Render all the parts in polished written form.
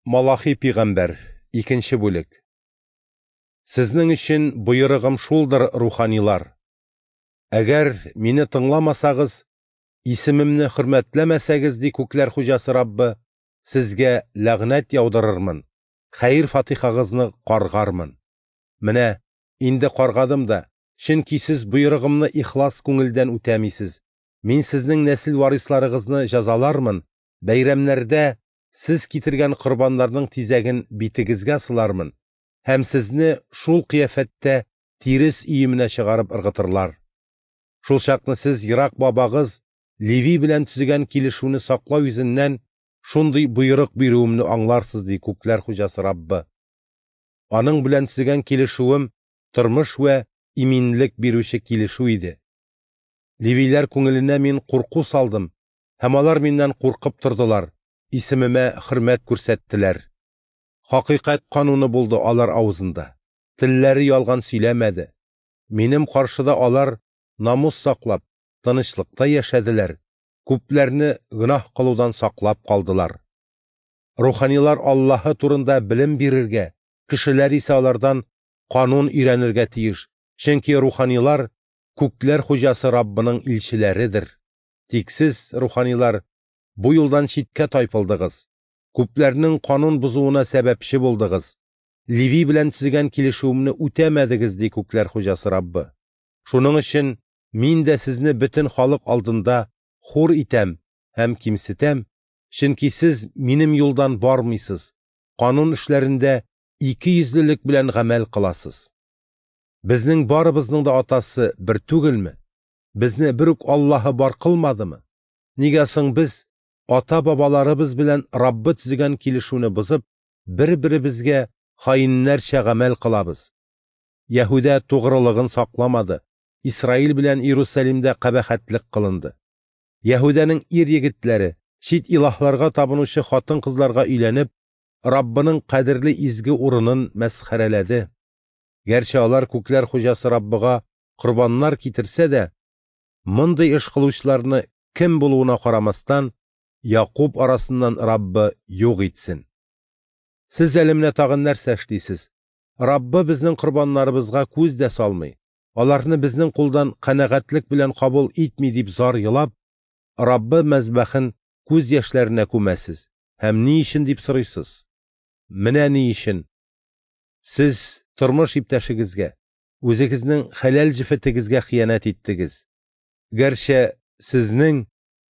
Малахи пигамбәр, икенче бүлек. Сезнең өчен боерыгым шулдыр, руханилар. Әгәр мине тыңламасагыз, исемемне хөрмәтләмәсәгез, ди күкләр хуҗасы Раббы, сезгә ләгънәт яудырырмын, хәер-фатихагызны каргармын. Менә инде каргадым да, чөнки сез боерыгымны ихлас күңелдән үтәмисез. Мин сезнең нәсел варисларыгызны җәзалармын, бәйрәмнәрдә сез китергән корбаннарның тизәген битегезгә сылармын һәм сезне шул кыяфәттә тирес өеменә чыгарып ыргытырлар. Шул чакны сез ерак бабагыз Леви белән төзегән килешүне саклау йөзеннән шундый боерык бирүемне аңларсыз, ди күкләр хуҗасы Раббы. Аның белән төзегән килешүем тормыш вә иминлек бирүче килешү иде. Левиләр күңеленә мин курку салдым, һәм алар миннән куркып тордылар, исемемә хөрмәт күрсәттеләр. Хакыйкать кануны булды алар авызында. Телләре ялган сөйләмәде. Минем каршыда алар намус саклап, тынычлыкта яшәделәр, күпләрне гөнаһ кылудан саклап калдылар. Руханилар Аллаһы турында белем бирергә, кешеләр исә алардан канун өйрәнергә тиеш, чөнки руханилар күкләр хуҗасы Раббының илчеләредер. Тик сез, руханилар, бу юлдан читкә тайпылдыгыз. Күпләрнең канун бозуына сәбәпче булдыгыз. Леви белән төзегән килешүемне үтәмәдегез, ди күкләр хуҗасы Раббы. Шуның өчен мин дә сезне бөтен халык алдында хур итәм һәм кимсетәм, чөнки сез минем юлдан бармыйсыз, канун эшләрендә икейөзлелек белән гамәл кыласыз. Безнең барыбызның да атасы бер түгелме? Безне бер үк Аллаһы бар кылмадымы? Нигә соң без ата-бабаларыбыз белән Раббы төзегән килешүне бозып, бер-беребезгә хаиннәрчә гамәл кылабыз? Яһүдә тугрылыгын сакламады, Исраил белән Иерусалимдә кабахәтлек кылынды. Яһүдәнең ир-егетләре чит илаһларга табынучы хатын-кызларга өйләнеп, Раббының кадерле изге урынын мәсхәрәләде. Гәрчә алар күкләр хуҗасы Раббыга корбаннар китерсә дә, мондый эш кылучыларны кем булуына карамастан, Якуб арасыннан Раббы юк итсен. Сез әле менә тагын нәрсә эшлисез? Раббы безнең корбаннарыбызга күз дә салмый, аларны безнең кулдан канәгатьлек белән кабул итми дип зар елап, Раббы мәзбәхен күз яшьләренә күмәсез һәм ни өчен дип сорыйсыз? Менә ни өчен? Сез тормыш иптәшегезгә, үзегезнең хәләл җефетегезгә хыянәт иттегез. Гәрчә сезнең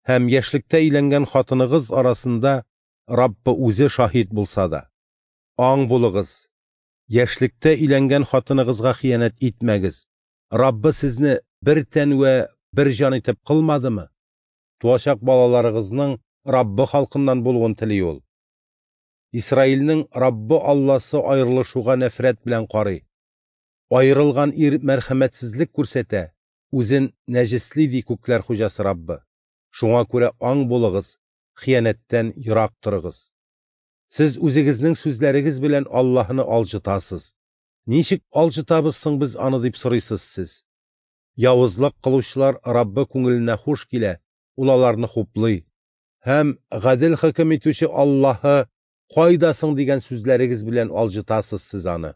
һәм яшьлектә өйләнгән хатыныгыз арасында Раббы үзе шаһит булса да. Аң булыгыз. Яшьлектә өйләнгән хатыныгызга хыянәт итмәгез. Раббы сезне бер тән вә бер җан итеп кылмадымы? Туачак балаларыгызның Раббы халкыннан булуын тели ул. Исраилнең Раббы Алласы аерылышуга нәфрәт белән карый. Аерылган ир мәрхәмәтсезлек күрсәтә, үзен нәҗесли, ди күкләр хуҗасы Раббы. Шуңа күрә аң булыгыз, хыянәттән ерак торыгыз. Сез үзегезнең сүзләрегез белән Аллаһны алҗытасыз. Ничек алҗытабыз соң без аны дип сорыйсыз сез. Явызлык кылучылар Раббы күңеленә хуш килә, ул аларны хуплый. Һәм гадел хөкем итүче Аллаһы кайда соң дигән сүзләрегез белән алҗытасыз сез аны.